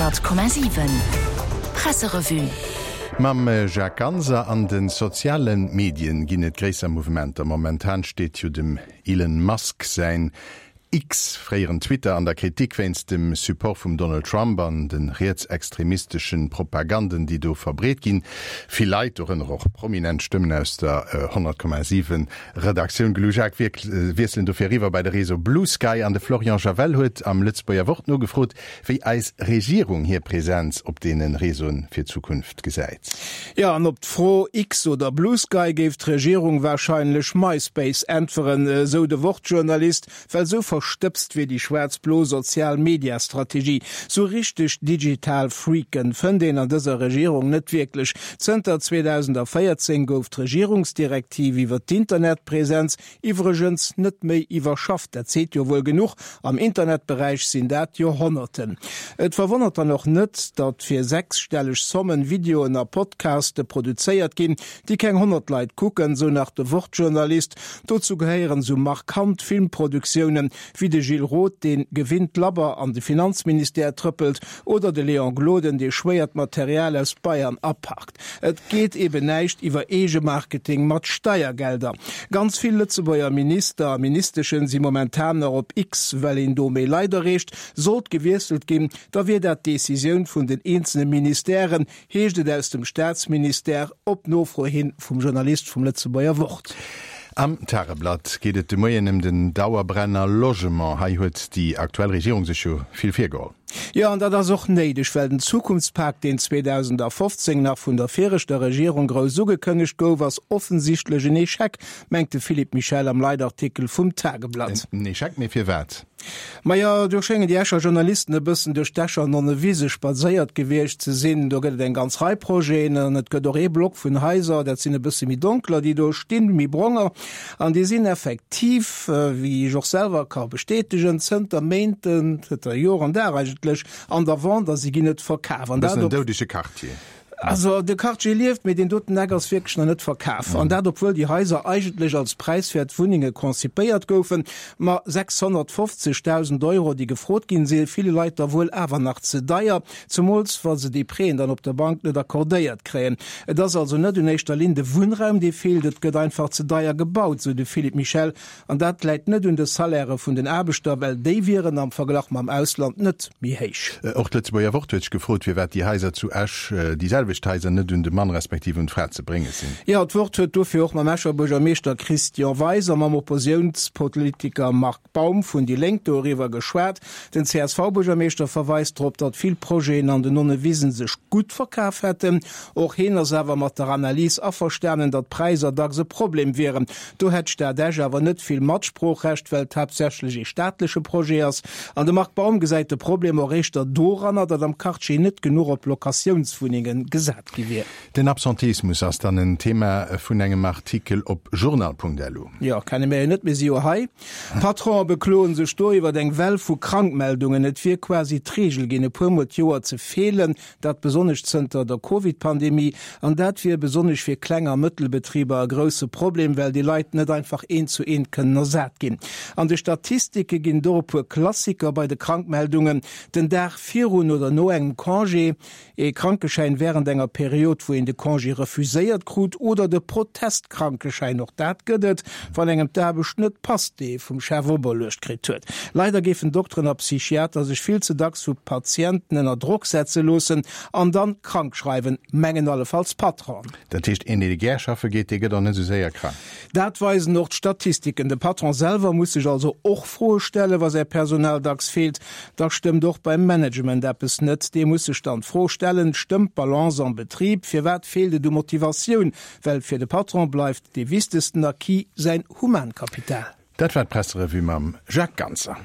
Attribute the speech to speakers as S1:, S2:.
S1: 100,7 Presserevue.
S2: Mam Jacques Ganser. An de soziale Medien ginn et gréisser Mouvementer. Momentan steet jo dem Elon Musk säin X, fréieren Twitter, an der Kritik wéinst dem Support vum Donald Trump an de rietsextremisteschen Propaganden, déi do verbreet ginn. Vill Leit, dorënner och prominent Stëmmen aus der 100,7 Redaktioun Gelu Jacques, wiesselen dofir eriwwer bei de Réseau Bluesky. An de Florian Javel huet am Lëtzebuerger Wort nogefrot, wéi eis Regierung hir Präsenz op deene Réseauen fir d'Zukunft gesäit.
S3: Jo, an op d'Fro X oder Bluesky géif d'Regierung warscheinlech MySpace äntweren, esou de Wort-Journalist, well esou verstëbst wier déi schwaarz-blo Sozial-Media-Strategie. Sou richteg digital Freaken fënnt een an dëser Regierung net wierklech. Zënter 2014 gouf d'Regierungsdirektiv iwwer d'Internetpräsenz Iwwregens net méi iwwerschafft, dat seet jo wuel genuch, am Internetberäich sinn dat Joerhonnerten. Et verwonnert dann och net, datt fir sechsstelleg Sommen Videoen a Podcaste produzéiert ginn, déi keng 100 Leit kucken, sou nach de Wort-Journalist. Dozou gehéieren sou markant Filmproduktiounen wéi de Gilles Roth, dee gewinnt labber an de Finanzministère trëppelt, oder de Léon Gloden, dee schwéiert Material aus Bayern aparkt. Et geet eben näischt iwwer Eegemarketing mat Steiergelder. Ganz vill Lëtzebuerger Minister a Ministeschen si momentan nach op X, well een do méi Leit erreecht. Sollt gewiesselt ginn, da wier dat d'Decisioun vun den eenzele Ministèren, heescht et aus dem Staatsministère op Nofro hin vum Journalist vum Lëtzebuerger Wort.
S2: Am Tageblatt geet et de Moien ëm den Dauerbrenner Logement. Hei huet déi aktuell Regierung sech jo vill virgeholl.
S3: Jo, an dat ass och néideg, well den Zukunftspak, deen 2015 nach vun der viregter Regierung grouss ugekënnegt gouf, ass offensichtlech en Echec, mengt de Philippe Michel am Leitartikel vum Tageblatt.
S2: En Echec, mee firwat?
S3: Majo, do schéngen déi Escher Journalisten e bëssen duerch d'Escher Nonnewise spadséiert gewiescht ze sinn. Do gëtt et eng ganz Rei Projeten an et gëtt och ee Block vun Haiser, dat sinn e bësse méi donkeler, déi do stinn, méi bronger. An déi sinn effektiv, wéi ech och selwer ka bestätegen, zënter Méinten, zënter Joer an Dag eigentlech, an der Vente a si ginn net verkaf.
S2: An dat op. E bëssen en doudege Quartier.
S3: Also de Quartier lieft, mee deen doten Eck ass wierklech nach net verkaf. An dat obwuel déi Haiser eigentlech als präiswäert Wunnenge konzipéiert goufen. Ma 650.000 Euro, déi gefrot ginn, si ville Leit da wuel awer nach ze deier. Zemools wa se déi Prêten dann op der Bank net accordéiert kréien. Et ass also net un éischter Linn de Wunnraum, dee feelt, et gëtt einfach ze deier gebaut, sou de Philippe Michel. An dat läit net un de Salairë vun den Aarbechter, well déi wieren am Verglach mam Ausland net méi héich.
S2: Och d'Lëtzebuerger Wort huet sech gefrot, firwat déi Haiser zu Esch, déi selwecht Haiser, net un de Mann respektiv un d'Fra ze brénge sinn.
S3: Jo, d'Wort huet dofir och mam Escher Buergermeeschter Christian Weis a mam Opposiounspolitiker Marc Baum vun déi Lénk doriwwer geschwat. Den CSV-Buergermeeschter verweist drop, datt vill Projeten an den Nonnewisen sech gutt verkaf hätten. Och heen ass awer mat der Analys averstanen, datt d'Präisser dacks e Problem wieren. Do hätt d'Stad Esch awer net vill Matsproochrecht, well et haaptsächlech ee staatleche Projet ass. An de Marc Baum gesäit de Problem och éischter doranner, datt am Quartier net genuch op Locatiounswunnenge gesat gi wier.
S2: Den Absenteismus ass dann en Thema vun engem Artikel op journal.lu.
S3: Jo, kenne mir jo net, mir si jo hei. D'Patronen bekloen sech do iwwer eng Well vu Krankmeldungen. Et wier quasi d'Reegel ginn, e puer Mol d'Joer ze feelen, dat besonnesch zënter der Covid-Pandemie. An dat wier besonnesch fir Kleng a Mëttelbetriber e grousse Problem, well déi Leit net einfach eent zu eent kënnen ersat ginn. An de Statistike ginn et och e puer Klassiker bei de Krankmeldungen, den Dag virun oder no engem Congé, Ee Krankeschäin wärend enger Period, wou een de Congé refuséiert krut, oder de Protestkrankeschäin, och dat gëtt et, wann engem d'Aarbecht net passt, déi ee vum Chef operluecht kritt huet. Leider géifen Dokteren a Psychiater sech vill ze dacks vu Patienten ënner Drock setze loossen an dann krank schreiwen, mengen allefalls d'Patronen.
S2: Dat heescht, een, dee gär schaffe geet, dee gëtt och net esou séier krank.
S3: Dat weisen och d'Statistiken. De Patron selwer muss sech also och Froe stellen, wa säi Personal dacks feelt. Da stëmmt och beim Management eppes net. Dee muss sech dann d'Fro stellen, Stëmmt d'Balance am Betrib? Firwat feelt et u Motivatioun? Well fir de Patron bleift dee wichtegsten Acquis säin Humankapital.
S2: Dat war d'Presserevue mam Jacques Ganser.